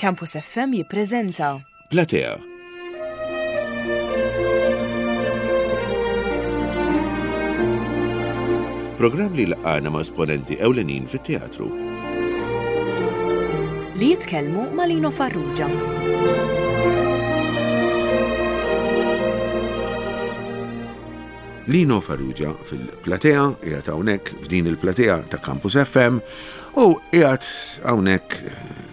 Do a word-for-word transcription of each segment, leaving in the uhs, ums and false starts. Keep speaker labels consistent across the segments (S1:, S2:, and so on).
S1: Campus F M jippreżenta
S2: Platea. Programm li laqana ma' esponenti ewlenin fit-teatru.
S1: Li jitkellmu ma' Lino Farrugia.
S2: Lino Farrugia fil-platea, qiegħed hawnhekk f'din il-platea ta' Campus F M u qiegħed hawnhekk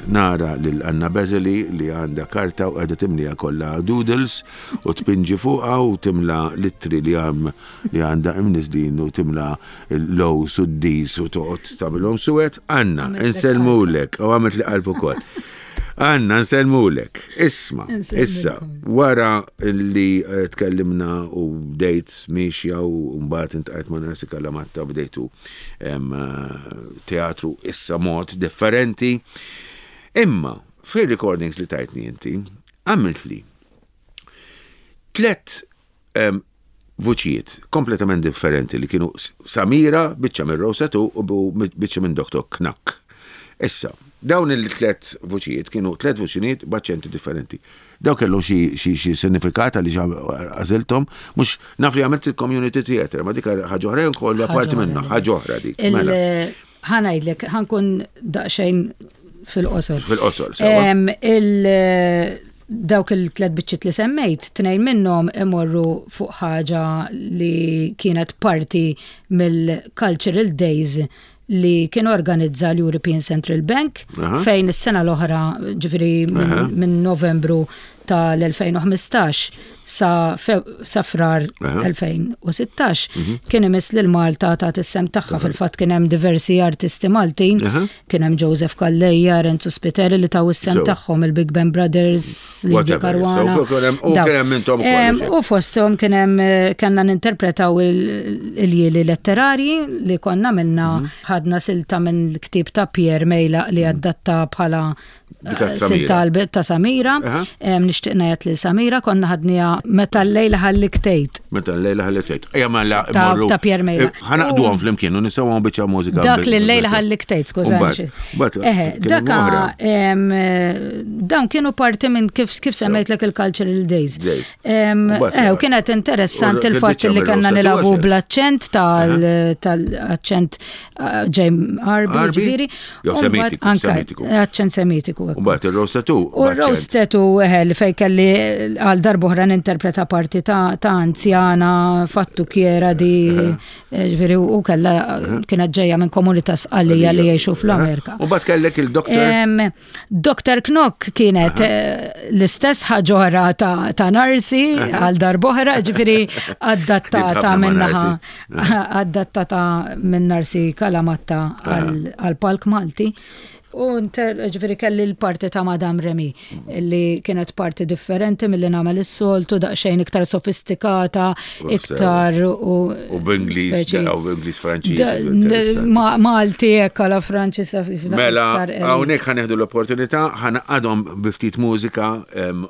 S2: nara lil Anna Bezeli li għandha karta u qiegħda timlija kollha doodles u tpinġi fuqha u timla l-ittri li għam li għandha imniżlin u timla l-O's u d-D's u toqgħod tagħmilhom suwed. Anna, insellmulek u għamilt li qalb ukoll. Anna, nsellmulek. Isma, issa, wara li eh, tkellimna u bdejt miexja u mbagħad intqajt ma' Narsi Kalamatta, bdejtu eh, teatru issa mod differenti. Imma, fil-recordings li tajtni inti, għamilt li tlet vuċijiet kompletament differenti li kienu Samira, biċċa minn Rosetu u biċċa minn Doktor Knack. Issa, dawn il-tlet vuċijiet kienu tlet vuċijiet b'aċċenti differenti. Daw kellu xi xi sinifikat li għażilthom, mhux naf li għamilt il-community theater, ma dik ħaġa oħra jew parti minnha, ħaġa oħra dik.
S3: Mela. Ħa ngħidlek, ħa nkun daqsxejn fil-qosor.
S2: Fil-qosor.
S3: Dawk il-tlet biċċiet li semmejt, tnejn minnhom imorru fuq ħaġa li kienet parti mill-Cultural Days li kien organizza l-European Central Bank fejn is-sena l-oħra, ġifieri minn Novembru tal-elfejn u ħmistax sa, sa Frar elfejn u sittax, mhm. kien imiss lil Malta ta' is-sehem tagħha. Fil-fatt kien hemm diversi artisti Maltin, kien hemm Joseph Calleja, Renzo Spiteri li taw is-sehem tagħhom, il-Big Ben Brothers, Lydia Caruana. U fosthom kien hemm kellna ninterpretaw il-jieli letterari li konna minna mhm. ħadna silta minn ktieb ta' Pierre Mejlaq li mhm. adatta bħala silta ta' Samira. Nixtieq ngħid li Samira konna ħadniha "Meta l-lejla ħallik tgħid".
S2: "Meta l-lejla ħallik tgħid". Ejja mela.
S3: Ta' Pierre Mejlaq.
S2: Ħa ngħaqqduhom flimkien u nisimgħu biċċa mużika.
S3: Dak li "L-lejla ħallik tgħid", skużani. Daka dawn kienu parti minn kif kif semmejtlek il-Cultural Days. U kienet interessanti il-fatt li kellna nilagħbu bl-aċċent tal-aċċent ġej Għarbi, ġifieri.
S2: Semitiku.
S3: Aċċent Semitiku.
S2: U mbagħad ir-Rosetu.
S3: U r-Rosetu li fej kelli għal darb'oħra ninterpreta parti ta' anzjana fattucchiera di, ġifieri, u kella kienet ġejja minn komunità Sqallija li jgħixu fl-Amerika.
S2: U mbagħad kellek il-Doktor.
S3: Doktor Knock kienet l-istess ħaġa ta' Narsi għal darb'oħra, ġifieri adattata minnaħa adattata minn Narsi Kalamatta għal palk Malti. U ġifieri kelli l-parti ta' Madame Remy, li kienet parti differenti mill-li nagħmel is-soltu, daqsxejn iktar sofistikata, iktar
S2: u. U b'Ingliż, u b'Ingliż Franċiż.
S3: Malti hekk għala Franċiż.
S2: Mela, hawnhekk ħa nieħdu l-opportunità, ħa ngħaqqadhom bi ftit mużika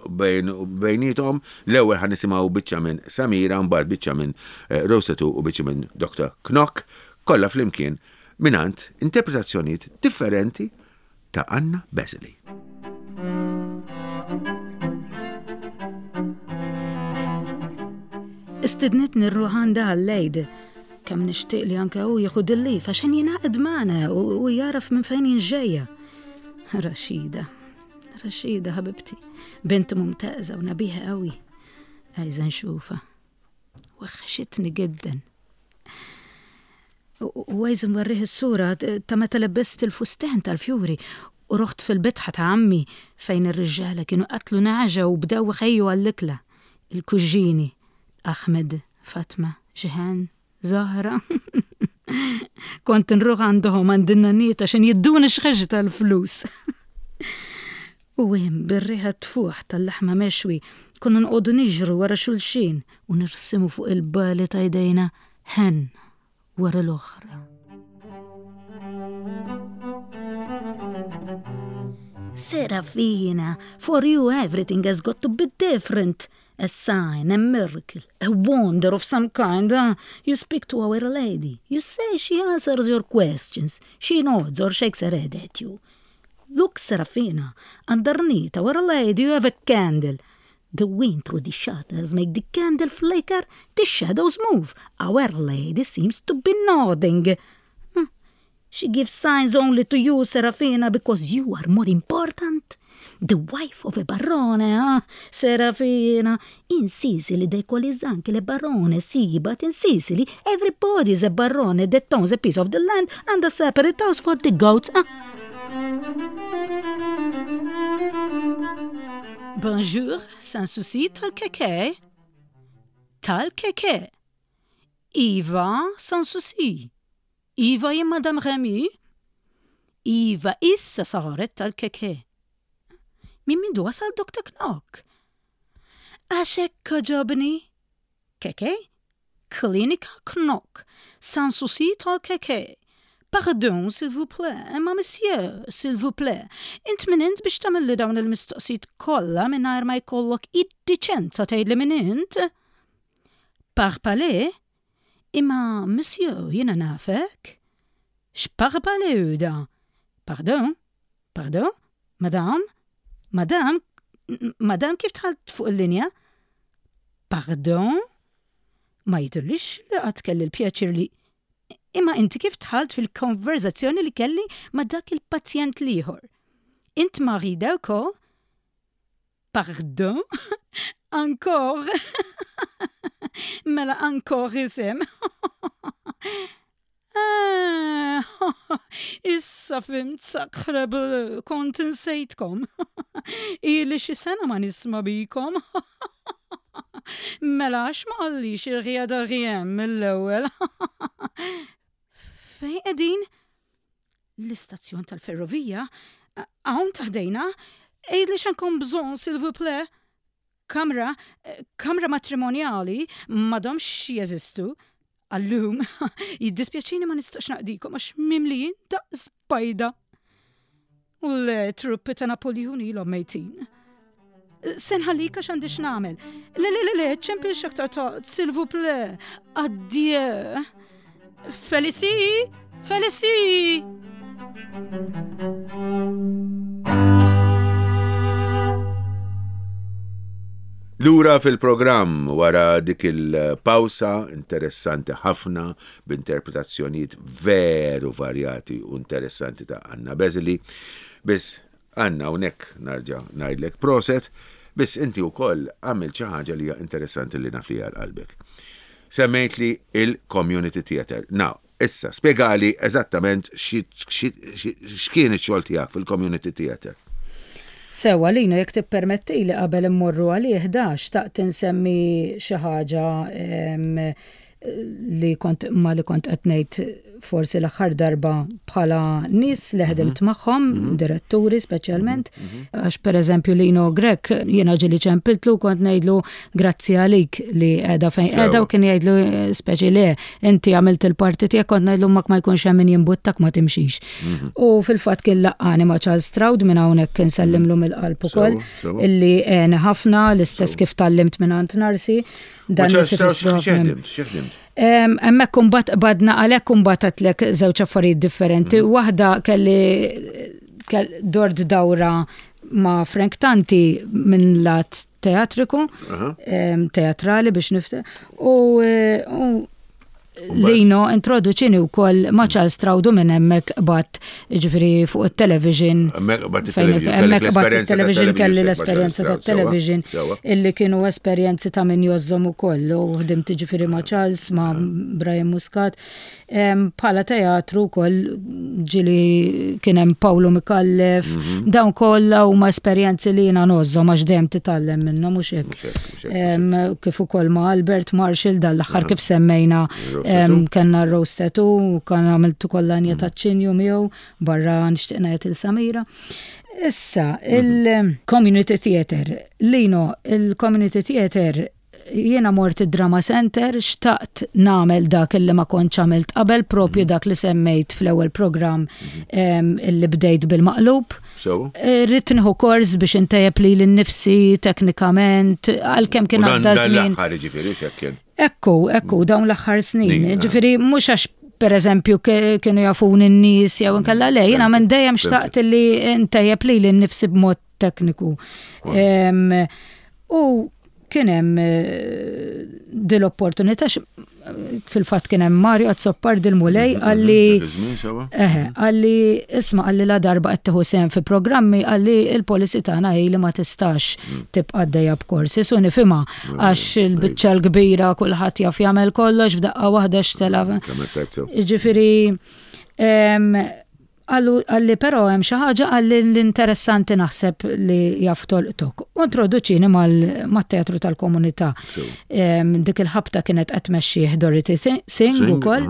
S2: bejniethom. L-ewwel ħa nisimgħu biċċa minn Samira, mbagħad biċċa minn eh, Rosetu u biċċa minn Doktor Knock, kollha flimkien mingħand interpretazzjonijiet differenti ta' Anna Bezeli.
S3: Istidnitni rruħ għandha għall-Għid. Kemm nixtieq li anke hu jieħu dil-leave għaxan jingħaqad magħna u jaraf minn fejn jien ġejja. Rashida, Rashida حبيبتي، بنت ممتازة ونبيهة قوي. عايزة نشوفها، وحشتني جدا. وعايزة نوريه الصورة تا متى لبست الفستان تاع ال fiori ورحت في البيت عمي فين الرجالة كانوا قتلوا نعجة وبداوا يخيوا على الأكلة، ال cugini أحمد، فاطمة، جيهان، زهرة. كنت نروح عندهم عند النانيت عشان يدونا شخشة الفلوس. وين بالريحة تفوح تاع اللحمة مشوي كنا نقعدوا نجروا ورا شلشين ونرسموا فوق البالة ايدينا هن ورا الأخرى. Serafina, for you everything has got to be different. A sign, a miracle, a wonder of some kind. Huh? You speak to Our Lady. You say she answers your questions. She nods or shakes her head at you. Look, Serafina, underneath our lady you have a candle. The wind through the shutters make the candle flicker, the shadows move. Our lady seems to be nodding. Hmm. She gives signs only to you, Serafina, because you are more important. The wife of a barone, ah, Serafina. In Sicily they call his uncle a barone, sì, but in Sicily everybody is a barone that owns a piece of the land and a separate house for the goats. Ah. Bonjour, sans souci tal-keke. Tal-keke. Iva, sans souci. Iva jien Madame Remy. Iva issa saret tal-keke. Min mindu wasal Doctor Knock? Għax hekk għoġobni. Keke? Klinika Knock. Sans souci tal-keke. Pardon, s'il vous plaît, imma monsieur, s'il vous plaît. Int min int biex tagħmilli dawn il-mistoqsijiet kollha mingħajr ma jkollok id-diċenza tgħidli min int? Parpale? Imma monsieur, jiena nafek? X'parpale hu da? Pardon? Pardon? Madame? Madame? Madame kif dħalt fuq il-linja? Pardon? Ma jidhirlix li qatt kelli l-pjaċir li Imma inti kif dħalt fil-konverzazzjoni li kelli ma' dak il-pazjent l-ieħor? Int marida wkoll? Pardon? Encore? Mela encore isem. Ah, issa fhimt sacre bleu, kont insejtkom. Ili xi sena ma nisma' bikom. Mela għax ma qallix ir-rien de rien mill-ewwel. Fejn qegħdin? L-istazzjon tal-ferrovija? Hawn taħdejna? Għidli x'għandkom bżonn, s'il vous plaît. Kamra, kamra matrimonjali m'għadhomx jeżistu. Għallum, jiddispjaċini ma nistax naqdikom għax mimlijin daqs bajda. U le truppi ta' Napoljun ilhom mejtin. Se nħallik għax għandi x'nagħmel. Le, le, le, le, ċempilx aktar tard, s'il vous plaît. Addieu. Felici, Felici.
S2: Lura fil-programm wara dik il-pawsa interessanti ħafna b'interpretazzjonijiet veru varjati u interessanti ta' Anna Bezili. Biss Anna, hawnhekk narġa' ngħidlek proset, biss inti wkoll għamilt xi ħaġa li hija interessanti li naf li hija qalbek. Semmejt li il-Community Theatre. Now, issa, spjegali eżattament x'kien ix-xogħol tiegħek fil-Community Theatre.
S3: Sewa, Lino, jekk tippermetti li qabel immorru għalih da, xtaqt insemmi xi ħaġa li kont ma li kont qed ngħid forsi l-aħħar darba bħala nies li ħdimt magħhom, diretturi speċjalment, għax pereżempju Lino Grech jiena ġieli ċempiltlu kont ngħidlu grazzi għalik li qiegħda fejn qiegħda u kien jgħidlu speċi le inti għamilt il-parti tiegħek, kont ngħidlu mak ma jkunx hemm min jimbuttak ma timxix. U fil-fatt kien laqqani ma' Charles Stroud minn hawnhekk insellimlu mill-qalb ukoll illi għeni ħafna l-istess kif tgħallimt minn għand Narsi.
S2: Dan x'ħdimt?
S3: Hemmhekk imbagħad qbadna għalhekk imbagħad għedtlek żewġ affarijiet differenti. Waħda kelli dort dawra ma' Frank Tanti minn lat teatriku, teatrali biex nifte. U Lino introduċini wkoll ma' Charles Stroud minn hemmhekk qbadt ġifieri fuq it-television.
S2: Hemmhekk qbadt
S3: it-television kelli l-esperjenza tat-television illi kienu esperjenzi ta' min jożżhom ukoll u ħdimt ġifieri ma' Charles, ma' Brian Muscat. Bħala teatru wkoll ġieli kien hemm Paolo Micallef, dawn kollha huma esperjenzi li jiena ngħożżhom għax dejjem titgħallem minnhom mhux hekk. Kif ukoll ma' Albert Marshall dan l-aħħar kif semmejna kellna r-roast tattoo, kan għamiltu kollanja ta' ċinju miegħu barra nixtieq ngħid il Samira. Issa, il-Community Theatre. Lino, il-Community Theatre jiena mort id-Drama Center, xtaqt nagħmel dak illi ma kontx għamilt qabel, propju dak li semmejt fl-ewwel programm illi bdejt bil-maqlub. Rrid nieħu kors biex intejjeb lili nnifsi teknikament, għalkemm kien għadda żmien.
S2: Dan l-aħħar jiġifieri x'hekk kien.
S3: Ekku, ekku, dawn l-aħħar snin. Ġifieri mhux għax Per eżempju, kienu jafuni n-nies jew inkella le, jiena minn dejjem xtaqt li ntejjeb lili nnifsi b'mod tekniku. U kien hemm eh, dil-opportunità, fil-fatt kien hemm Mario Azzopardi l-Mulej
S2: mhm,
S3: qalli eħe, qalli, "Isma'," qalli, "la darba qed tieħu sehem fi programmi," qalli, "il-policy tagħna hi li ma tistax mm. tibqa' għaddejja b'korsi." Su nifhimha mm, għax il-biċċa l-kbira kulħadd jaf jagħmel kollox f'daqqa waħda xtela. Ġifieri qalli, "Però hemm xi ħaġa," qalli, "l-interessanti naħseb li jaf tolqtok." U introduċini mat-teatru tal-komunità. Dik il-ħabta kienet qed tmexxih Dorothy Singh ukoll.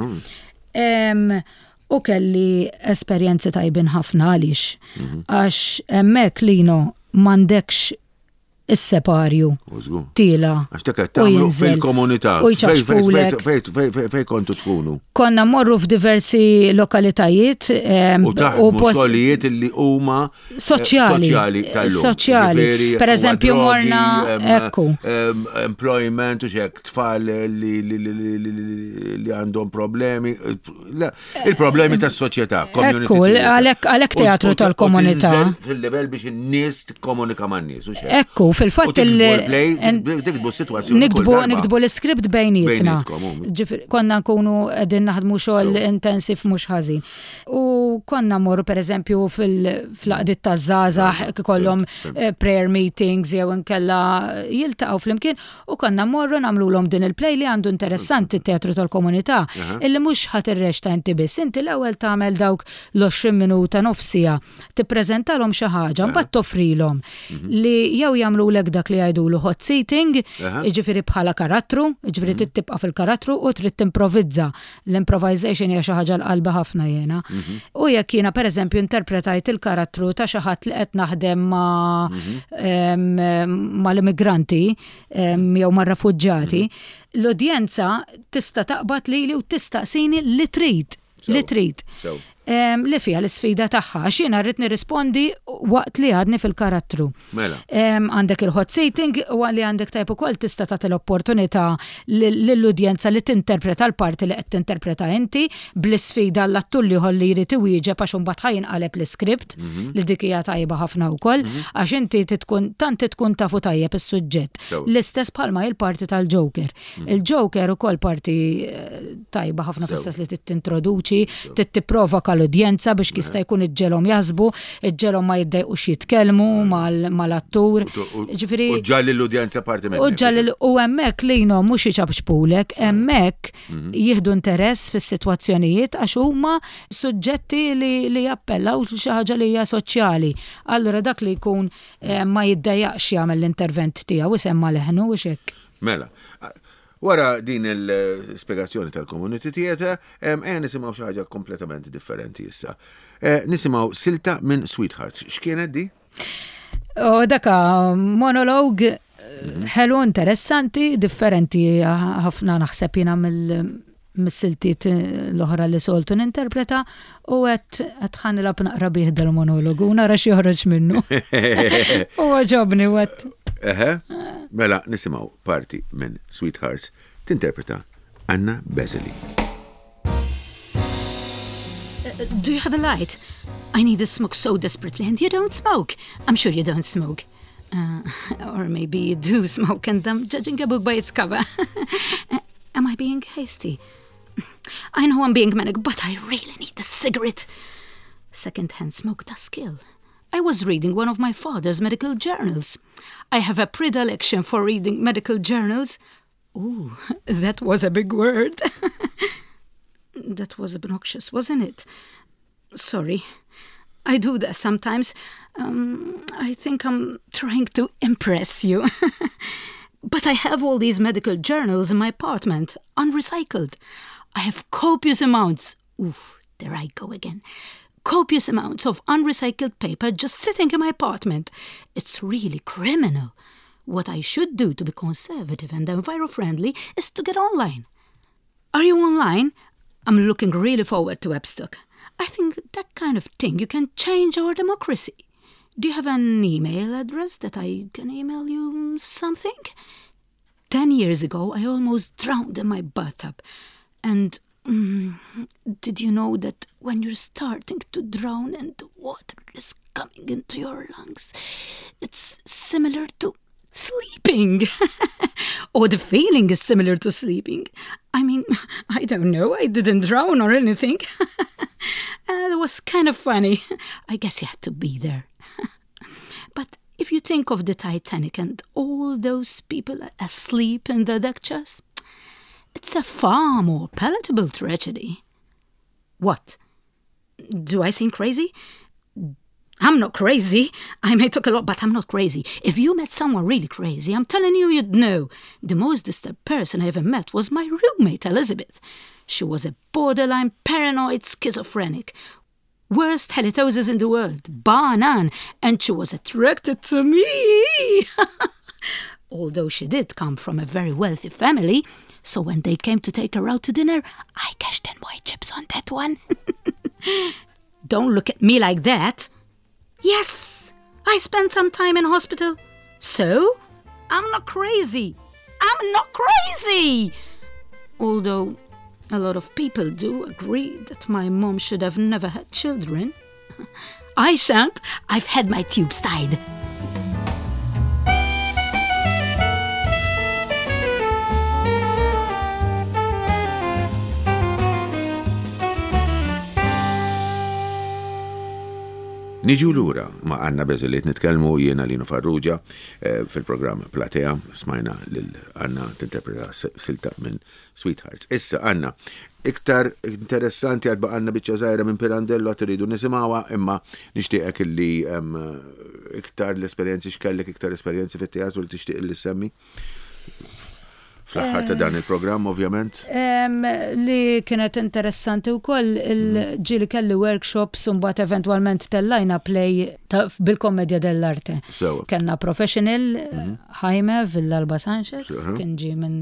S3: U kelli esperjenzi tajbin ħafna għaliex. Mhm. Għax hemmhekk, Lino, m'għandekx is-separju. Tila.
S2: Għax dak tagħmlu fil-komunità.
S3: U jċapċpulek.
S2: Fej kontu tkunu?
S3: Konna morru f'diversi lokalitajiet.
S2: U taħdmu xogħlijiet li huma
S3: eh, soċjali.
S2: Soċjali tal-lum.
S3: Soċjali. Per eżempju, morna ekku.
S2: Employment u xek tfal li li għandhom problemi. Il-problemi tas-soċjetà.
S3: Ekku, għalhekk teatru tal-komunità.
S2: Fil-level biex in-nies tikkomunika man-nies.
S3: Ekku, fil-fatt
S2: il- Niktbu situazzjoni.
S3: Niktbu niktbu l-iskript bejnietna. Konna nkunu qegħdin naħdmu xogħol intensiv mhux ħażin. U konna morru, per eżempju, fil-għaqdiet taż-żgħażagħ ikollhom eh, prayer meetings jew inkella jiltaqgħu flimkien u konna morru nagħmluhom din il-play. Li għandu interessanti teatru tal-komunità illi mhux ħa tirreċta inti biss, inti l-ewwel tagħmel dawk l-għoxrin minuta, nofs siegħa, tippreżentalhom xi ħaġa, mbagħad toffrilhom mhm. li jew jagħmlulek dak li jgħidulu hot seating, jiġifieri bħala karattru, jiġifieri mhm. tibqa' fil-karattru u trid timprovizza. L-improvisation hija xi ħaġa għal qalbi ħafna jiena. Mhm. U jekk jiena, pereżempju, interpretajt il-karattru ta' xi ħadd li qed naħdem ma' mal-immigranti jew mar-refuġġati, l-udjenza tista' taqbad lili u tistaqsini li trid li trid. Li fija l-sfida tagħha, għax jiena rrid nirrispondi waqt li għadni fil-karattru.
S2: Mela.
S3: Għandek il-hot seating u li għandek tajb ukoll tista' tagħti l-opportunità lill-udjenza li tinterpreta l-parti li qed tinterpreta inti bl-isfida l-attur li li jrid iwieġeb, għax imbagħad ħa jinqaleb l-iskript, mhm. li dik hija tajba ħafna wkoll, mhm. għax inti tkun tant tkun tafu tajjeb is-suġġett. L-istess bħalma il-parti tal-Joker. Mhm. Il-Joker ukoll parti eh, tajba ħafna fis-sens li tintroduċi, tipprovoka l-udjenza biex jista' jkun iġġegħelhom jaħsbu, iġġegħelhom ma jiddejqux jitkellmu mal-attur.
S2: Ġifieri. U ġalli l-udjenza parti
S3: minn. U ġalli u hemmhekk, Lino, mhux iċapċpulek, hemmhekk mhm. jieħdu interess fis-sitwazzjonijiet għax huma suġġetti li jappellaw xi ħaġa li hija soċjali. Allura dak li jkun eh, ma jiddejjaqx jagħmel l-intervent tiegħu, isemma leħnu u xek.
S2: Mela, wara din il-spiegazzjoni tal-community theatre, ejja nisimgħu xi ħaġa kompletament differenti issa. Eh, nisimgħu silta minn Sweethearts. X'kienet di?
S3: O daka monolog mhm. ħelu, interessanti, differenti ħafna naħseb jiena mill-siltiet l-oħra li soltu ninterpreta u għedt għedt ħa nilgħab naqra bih dal-monologu, nara x'joħroġ minnu. U għoġobni u għedt.
S2: Eħe, mela nisimgħu parti minn Sweethearts tinterpreta Anna Bezeli.
S3: Uh, do you have a light? I need a smoke so desperately, and you don't smoke. I'm sure you don't smoke. Uh, or maybe you do smoke and I'm judging a book by its cover. Am I being hasty? I know I'm being manic, but I really need the cigarette. Second-hand smoke does kill. I was reading one of my father's medical journals. I have a predilection for reading medical journals. Ooh, that was a big word. That was obnoxious, wasn't it? Sorry. I do that sometimes. Um, I think I'm trying to impress you. But I have all these medical journals in my apartment, unrecycled. I have copious amounts. Oof, there I go again. Copious amounts of unrecycled paper just sitting in my apartment. It's really criminal. What I should do to be conservative and enviro-friendly is to get online. Are you online? I'm looking really forward to Webstock. I think that kind of thing you can change our democracy. Do you have an email address that I can email you something? Ten years ago, I almost drowned in my bathtub. And Mm, did you know that when you're starting to drown and the water is coming into your lungs, it's similar to sleeping? Or the feeling is similar to sleeping. I mean, I don't know, I didn't drown or anything. Uh, it was kind of funny. I guess you had to be there. But if you think of the Titanic and all those people asleep in the deck chairs, it's a far more palatable tragedy. What? Do I seem crazy? I'm not crazy. I may talk a lot, but I'm not crazy. If you met someone really crazy, I'm telling you, you'd know. The most disturbed person I ever met was my roommate, Elizabeth. She was a borderline paranoid schizophrenic. Worst halitosis in the world, bar none, and she was attracted to me. Although she did come from a very wealthy family, so when they came to take her out to dinner, I cashed in my chips on that one. Don't look at me like that. Yes, I spent some time in hospital. So? I'm not crazy. I'm not crazy! Although a lot of people do agree that my mom should have never had children. I shan't. I've had my tubes tied.
S2: Niġu lura ma' Anna Beżeliet nitkellmu jiena Lino Farrugia eh, fil-programm Platea smajna lil Anna tinterpreta silta minn Sweethearts. Issa Anna, iktar interessanti għad baqgħalna biċċa żgħira minn Pirandello għad iridu nisimgħuha imma nixtieqek illi iktar l-esperjenzi x'kellek iktar esperjenzi fit-teatru li tixtieq li semmi. Fl-aħħar ta' dan il-programm, ovvjament.
S3: Li kienet interessanti wkoll il-ġieli kelli workshops u mbagħad eventwalment tellajna play bil-Commedia dell'Arte. Kellna professional mhm. Jaime Villalba Sanchez, kien ġie minn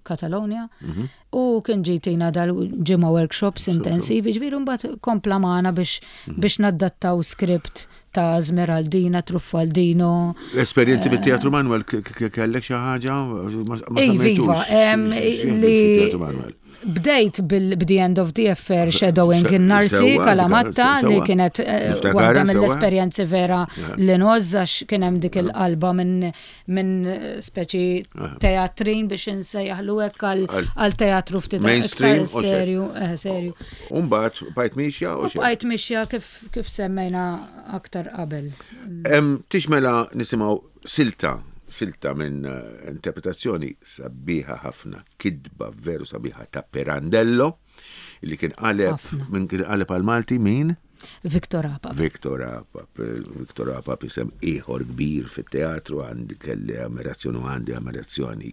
S3: Catalonia, mhm. u kien ġie tina dal-ġimgħa workshops intensivi, ġifieri mbagħad kompla magħna biex mhm. biex naddattaw script ta' Smeraldina, Truffaldino.
S2: Esperjenzi fit-Teatru Manuel kellek xi ħaġa?
S3: Iva, li bdejt bil-The End of the Affair Shadowing in-Narsi Calamatta li kienet eh, waħda mill-esperjenzi vera li ngħożż għax kien hemm dik il-qalba minn minn speċi teatrin biex insejjaħlu hekk għal teatru ftit
S2: mainstream
S3: serju, eh, serju.
S2: Umbagħad bqajt mixja u
S3: Bqajt mixja kif kif semmejna aktar qabel.
S2: Tix mela nisimgħu silta silta minn eh, interpretazzjoni sabiħa ħafna, kidba veru sabiħa ta' Pirandello, li kien qaleb minn kien qaleb għal Malti min?
S3: Victor Apap.
S2: Victor Apap, Victor Apap isem ieħor kbir fit-teatru għandi kelli ammirazzjoni u għandi ammirazzjoni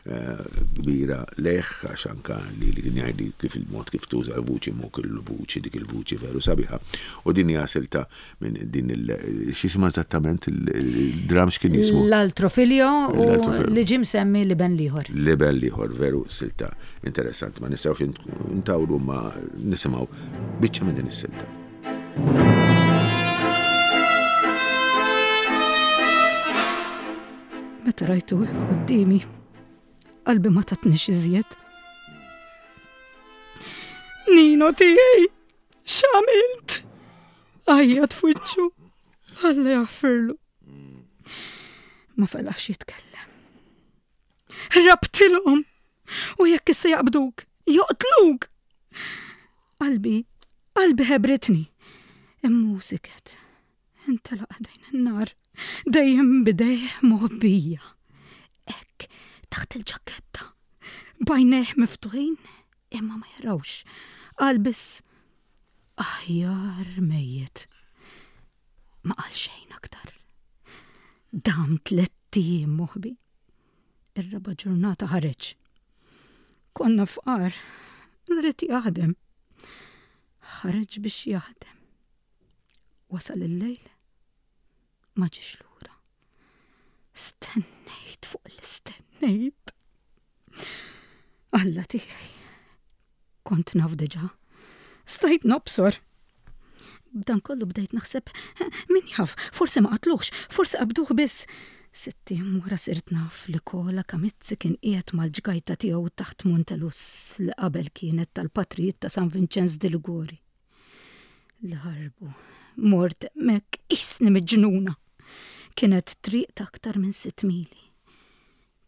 S2: eh, kbira lejh għax anka li li kien jgħidli kif il-mod kif tuża l-vuċi mu il-vuċi dik il-vuċi veru sabiħa. U din hija silta minn din il x'jisimha eżattament il-dram x'kien jismu?
S3: L'altro figlio u li ġie msemmi L-iben l-ieħor.
S2: L-iben l-ieħor veru silta interessanti ma nistgħux ntawlu ma nisimgħu biċċa minn din is-silta.
S3: Meta rajtu hekk quddiemi, qalbi ma tatnix iżjed. Nino tiegħi, x'għamilt? Għajjat f'wiċċu, Alla jaħfirlu. Ma felaħx jitkellem. Rabtilhom u jekk issa jaqbduk, joqtluk. Qalbi, qalbi ħebritni. Imma siket. Intelaq ħdejn in-nar, dejjem b'idejh moħbija. Hekk, taħt il-ġaketta, b'għajnejh miftuħin, imma ma jarawx. Qal biss, aħjar mejjet. Ma qal xejn aktar. Dam tlett ijiem moħbi. Ir-raba' ġurnata ħareġ. Konna fqar, ried jaħdem. Ħareġ biex jaħdem. Wasal il-lejl, ma ġiex lura. Stennejt fuq l-istennejt. Alla tiegħi, kont naf diġà. Stajt nobsor. B'dan kollu bdejt naħseb, min jaf, forsi ma qatluhx, forsi qabduh biss. Sitt ijiem wara sirt naf li Kola Kamizzi kien qiegħed mal-ġgajta tiegħu taħt Montelus li qabel kienet tal-patrijiet ta' San Vincenz di Liguori. Li ħarbu, mort hemmhekk qisni miġnuna. Kienet triq ta' aktar minn sitt mili.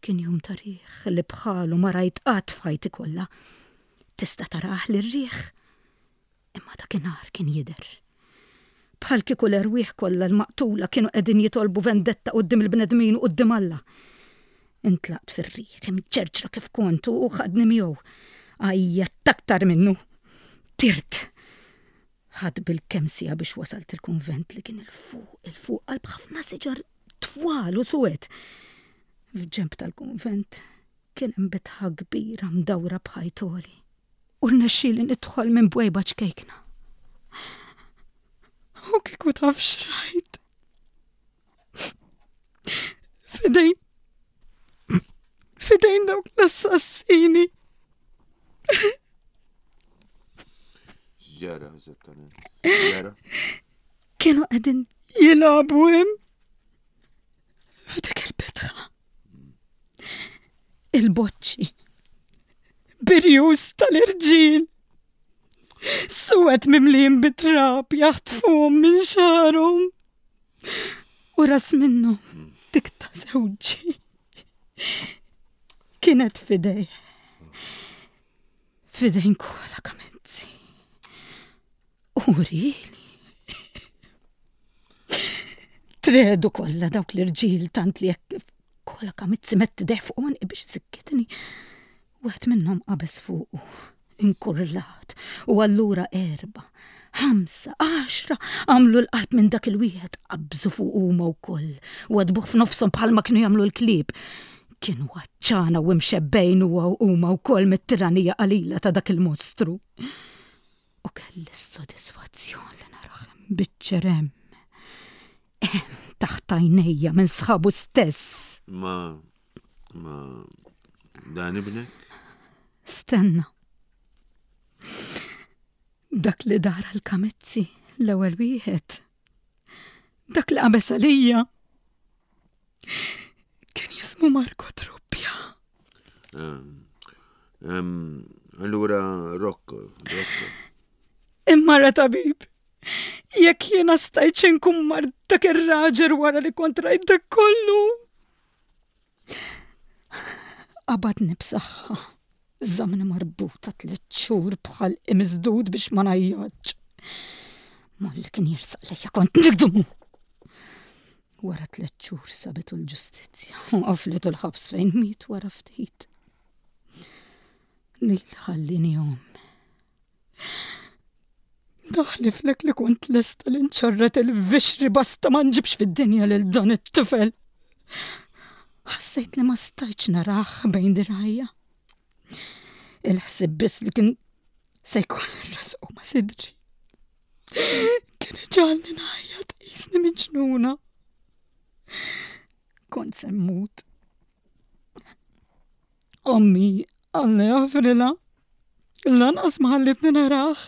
S3: Kien jum ta' riħ li bħalu ma rajt qatt f'ħajti kollha. Tista' tarah lir-riħ, imma dakinhar kien jidher. Bħal kieku l-erwieħ kollha l-maqtula kienu qegħdin jitolbu vendetta quddiem il-bnedmin u quddiem Alla. Intlaqt fir-riħ, imċerċra kif kont u ħadni miegħu. Għajjatt aktar minnu. Tirt. Ħadt bil-kemm siegħa biex wasalt il-kunvent li kien 'il fuq, 'il fuq qalb ħafna siġar twal u suwed. F'ġenb tal-kunvent kien hemm bitħa kbira mdawra b'ħajt għoli. U rnexxieli nidħol minn bwejba ċkejkna. U kieku taf x'rajt. F'idejn. F'idejn dawk l-assassini.
S2: Ġara, eżattament. Ġara.
S3: Kienu qegħdin jilagħbu hemm. F'dik il-bitħa. Il-boċċi. Birjus tal-irġiel. Suwed mimlijin bit-trab jaħtfuhom minn xagħarhom. U ras minnhom dik ta' żewġi. Kienet f'idejh. F'idejn Kola Kamizzi. U rili. Tredu kollha dawk l-irġiel tant li jekk Kola Kamizzi mett idejh fuq għonqi biex isikkitni. Wieħed minnhom qabeż fuqu, inkurlat, u allura erba', ħamsa, għaxra għamlu l-qalb minn dak il-wieħed, qabżu fuq huma wkoll u għadbuh f'nofshom bħalma kienu jagħmlu l-klieb. Kienu għatxana u mxebbejn u huma wkoll mit-tiranija qalila ta' dak il-mostru. U kelli s-sodisfazzjon li narah imbiċċer hemm, hemm taħt għajnejja minn sħabu stess.
S2: Ma, ma, dan ibnek?
S3: Stenna. Dak li dar għal-Kamizzi l-ewwel wieħed. Dak li qabeż għalija. Kien jismu Marco Truppja.
S2: Allura Rocco, Rocco.
S3: Imma ra tabib, jekk jiena stajt inkun mar dak ir-raġel wara li kont rajt dak kollu. Qabadni b'saħħa, żamni marbuta tliet xhur bħal imiżdud biex ma ngħajjatx. Malli kien jirsaq lejja kont nikdmu. Wara tliet xhur sabitu l-ġustizzja u qaflitu l-ħabs fejn miet wara ftit. Lil ħallini omm. Naħliflek li kont lesta li nċarret il-vixri basta ma nġibx fid-dinja lil dan it-tifel. Ħassejt li ma stajtx narah bejn dirgħajja. Il-ħsieb biss li kien se jkun resqu ma' sidri. Kien iġagħalni ngħajjat qisni miġnuna. Kont se mmut. Ommi, Alla jaħfrilha, lanqas ma ħallitni narah.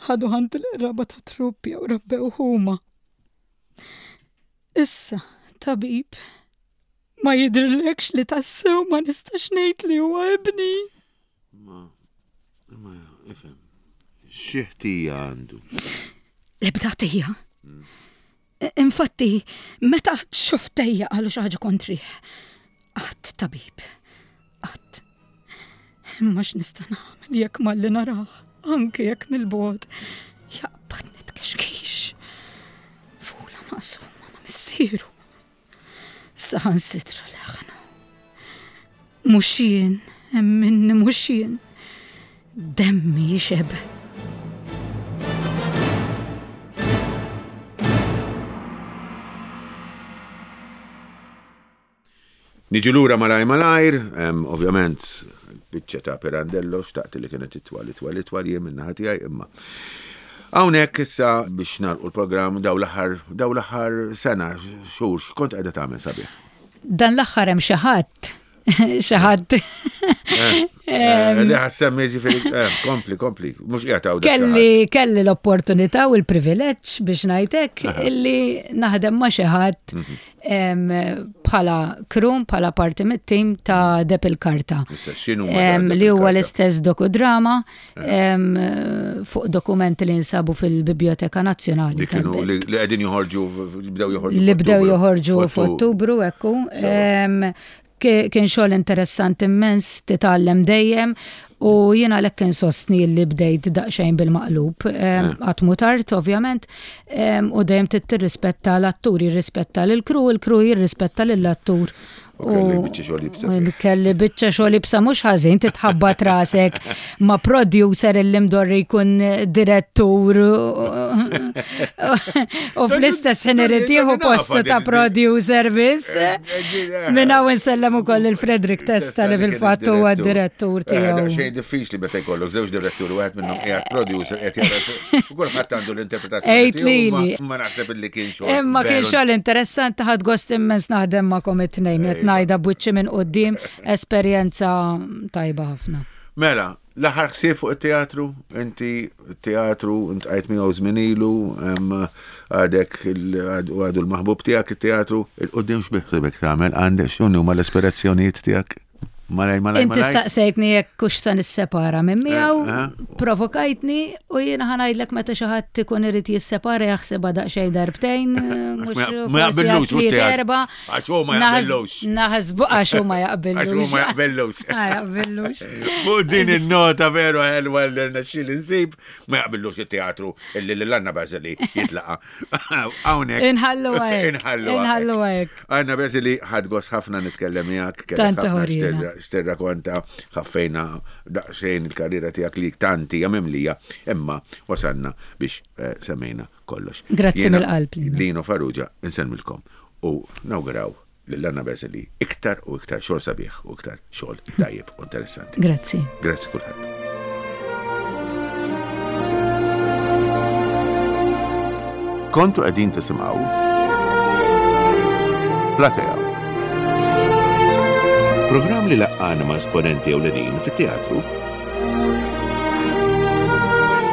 S3: Ħadu ħant il-qraba ta' Truppja u rabbew huma. Issa, tabib, ma jidhirlekx li tassew ma nistax ngħid li huwa ibni.
S2: Ma, ma, ifhem, xi ħtija għandu?
S3: L-ebda ħtija. Infatti, meta xoftejja qalu xi ħaġa kontrih. Qatt, tabib, qatt. Imma x'nista' nagħmel jekk malli narah, anke jekk mill-bogħod, jaqbad nitkexkix. Fula maqsuma ma' missieru. Saħansitra leħnu. Mhux jien, emminni mhux jien. Demmi jixeb.
S2: Niġu lura malajr malajr, em, ovvjament, biċċa ta' Pirandello, xtaqt li kienet itwal, itwal, itwal, jien minn naħa tiegħi, imma. Hawnhekk issa biex nagħlqu l-programm daw l-aħħar, daw l-aħħar sena, xhur, x'kont qiegħda tagħmel sabiħ?
S3: Dan l-aħħar hemm xi ħadd Xi ħadd.
S2: Eh, li ħa ssemmi ġifieri, eh, kompli, kompli, mhux qiegħed hawn dak xi
S3: Kelli
S2: ħadd.
S3: Kelli l-opportunità u l-privileġġ biex ngħidlek illi naħdem ma' xi ħadd
S2: Mhm.
S3: em, bħala crew, bħala parti mit-tim ta' Deheb il-Karta.
S2: Issa, x'inhu ma
S3: Em,
S2: Deheb
S3: li huwa
S2: il-Karta?
S3: l-istess dokudrama em, fuq dokumenti li nsabu fil-Biblioteka Nazzjonali.
S2: Li kienu
S3: tal-Belt.
S2: li li qegħdin joħorġu f- li bdew joħorġu
S3: Li bdew
S2: f'Ottubru.
S3: joħorġu f'Ottubru, ekku. Em, ki- Kien xogħol interessanti immens, titgħallem dejjem u jiena lek insostni li bdejt daqsxejn bil-maqlub. Em, Qatt mhu tard, ovvjament, em, u dejjem trid tirrispetta l-attur, jirrispetta l-crew, il-crew jirrispetta lill-attur.
S2: U kelli biċċa xogħol iebsa
S3: u
S2: fih.
S3: Kelli biċċa xogħol iebsa mhux ħażin titħabbat rasek ma' producer illi mdorri jkun direttur u fl-istess ħin irid jieħu postu ta' producer biss. Minn hawn insellem ukoll il-Frederick Testa li fil-fatt huwa d-direttur tiegħu.
S2: Xejn diffiċli meta jkollok żewġ diretturi, wieħed minnhom qiegħed producer qed jara u kulħadd għandu l-interpretazzjoni
S3: Għid
S2: tiegħu, ma-
S3: lili.
S2: Ma naħseb illi kien xogħol.
S3: Imma kien
S2: veru
S3: xogħol interessanti, ħadt gost immens naħdem magħkom it-tnejn, qed ngħidha b'wiċċi minn quddiem, esperjenza tajba ħafna.
S2: Mela, l-aħħar ħsieb fuq it-teatru, inti teatru, int għajt miegħu żmien ilu, em, għadek il- għadu għadu l-maħbub tiegħek it-teatru, il-qudiem x'biħsibek tagħmel, għandek x'inhu huma l-aspirazzjonijiet tiegħek? Malaj, malaj,
S3: Inti
S2: malaj.
S3: staqsejtni jekk hux sa nissepara minn miegħu,
S2: Eh, eh.
S3: provokajtni u jiena ħa ngħidlek meta xi ħadd ikun irid jissepara jaħsibha daqsxejn darbtejn, mhux
S2: ma- ma
S3: forsi
S2: jaqbillux
S3: għal tliet,
S2: u-teatru.
S3: erba'.
S2: Għax hu ma
S3: Naħs-
S2: jaqbillux.
S3: Naħsbu għax hu ma jaqbillux.
S2: Għax hu ma jaqbillux.
S3: Ma jaqbillux.
S2: Fuq din il-nota veru ħelwa li rnexxieli nsib, ma jaqbillux it-teatru illi l-Anna Basili jitlaqa. Hawnhekk.
S3: Inħallu hekk.
S2: Inħallu
S3: Inħallu hekk.
S2: Anna Basili, ħadt gost ħafna nitkellem miegħek, kellek
S3: Tant
S2: ħafna
S3: ħorina.
S2: x'tirrakonta, ħaffejna daqsxejn il-karriera tiegħek li tanti hija mimlija, imma wasalna biex eh, semmejna kollox.
S3: Grazzi
S2: Jiena,
S3: mill-qalb, Lino.
S2: Lino Farrugia, insellmilkom u nawguraw lil Anna Basili iktar u iktar xogħol sabiħ u iktar xogħol tajjeb u interessanti.
S3: Grazzi.
S2: Grazzi kulħadd. Kontu qegħdin tisimgħu Platea. Programm li laqqana ma' esponenti ewlenin fit-teatru.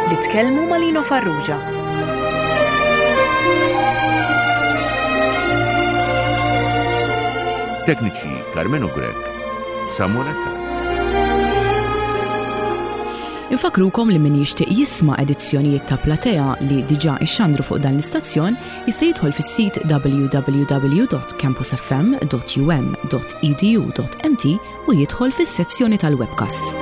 S1: Li tkellmu ma' Lino Farrugia.
S2: Tekniċi Carmenu Grech, Samuel Attard.
S1: Infakrukom li min jixtieq jisma' edizzjonijiet ta' Platea li diġà ixxandru fuq dan l-istazzjon jista' jidħol fis-sit w w w dot campusfm dot u m dot e d u dot m t u jidħol fis-sezzjoni tal-webcasts.